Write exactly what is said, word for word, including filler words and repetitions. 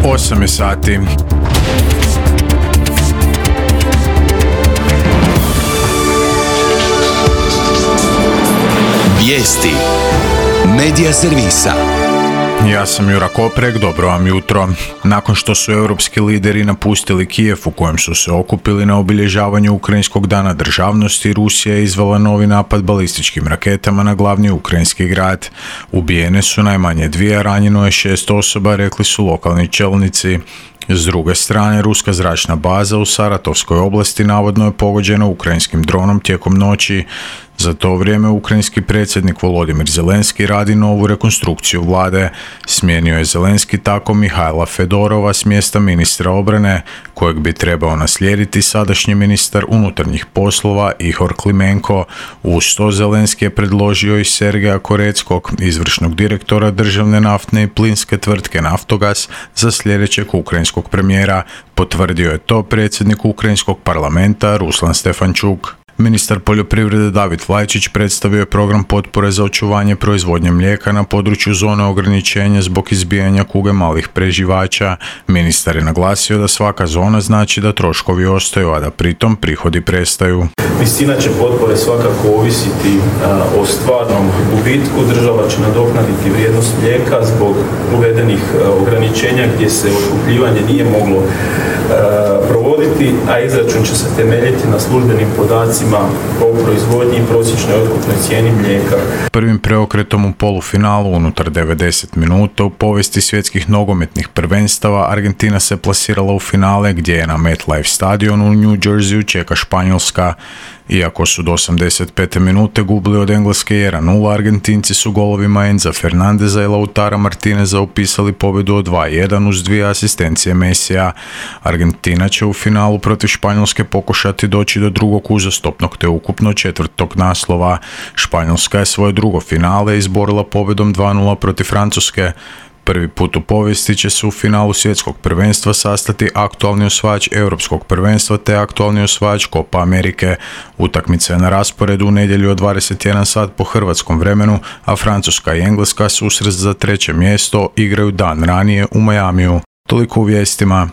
osam je sati. Vijesti Medija servisa. Ja sam Jura Koprek, dobro vam jutro. Nakon što su europski lideri napustili Kijev u kojem su se okupili na obilježavanju Ukrajinskog dana državnosti, Rusija je izvela novi napad balističkim raketama na glavni ukrajinski grad. Ubijene su najmanje dvije, a ranjeno je šest osoba, rekli su lokalni čelnici. S druge strane, ruska zračna baza u Saratovskoj oblasti navodno je pogođena ukrajinskim dronom tijekom noći. Za to vrijeme ukrajinski predsjednik Volodimir Zelenski radi novu rekonstrukciju vlade. Smijenio je Zelenski tako Mihajla Fedorova s mjesta ministra obrane, kojeg bi trebao naslijediti sadašnji ministar unutarnjih poslova Ihor Klimenko. Uz to Zelenski je predložio i Sergeja Koreckog, izvršnog direktora državne naftne i plinske tvrtke Naftogaz, za sljedećeg ukrajinskog premijera. Potvrdio je to predsjednik ukrajinskog parlamenta Ruslan Stefančuk. Ministar poljoprivrede David Vlajčić predstavio je program potpore za očuvanje proizvodnje mlijeka na području zone ograničenja zbog izbijanja kuge malih preživača. Ministar je naglasio da svaka zona znači da troškovi ostaju, a da pritom prihodi prestaju. Visina će potpore svakako ovisiti a, o stvarnom gubitku. Država će nadoknaditi vrijednost mlijeka zbog uvedenih a, ograničenja gdje se otkupljivanje nije moglo a, provoditi, a izračun će se temeljiti na službenim podacima o proizvodnji i prosječnoj otkupnoj cijeni mlijeka. Prvim preokretom u polufinalu unutar devedeset minuta u povijesti svjetskih nogometnih prvenstava Argentina se plasirala u finale gdje je na MetLife stadionu u New Jerseyu čeka Španjolska. Iako su do osamdeset pete minute gubili od Engleske jedan nula, Argentinci su golovima Enza Fernandeza i Lautara Martineza upisali pobjedu od dva jedan uz dvije asistencije Mesija. Argentina će u finalu protiv Španjolske pokušati doći do drugog uzastopnog te ukupno četvrtog naslova. Španjolska je svoje drugo finale izborila pobjedom dva nula protiv Francuske. Prvi put u povijesti će se u finalu svjetskog prvenstva sastati aktualni osvajač europskog prvenstva te aktualni osvajač Copa Amerike. Utakmica je na rasporedu u nedjelju od dvadeset jedan sat po hrvatskom vremenu, a Francuska i Engleska susret za treće mjesto igraju dan ranije u Miamiju. Toliko u vijestima.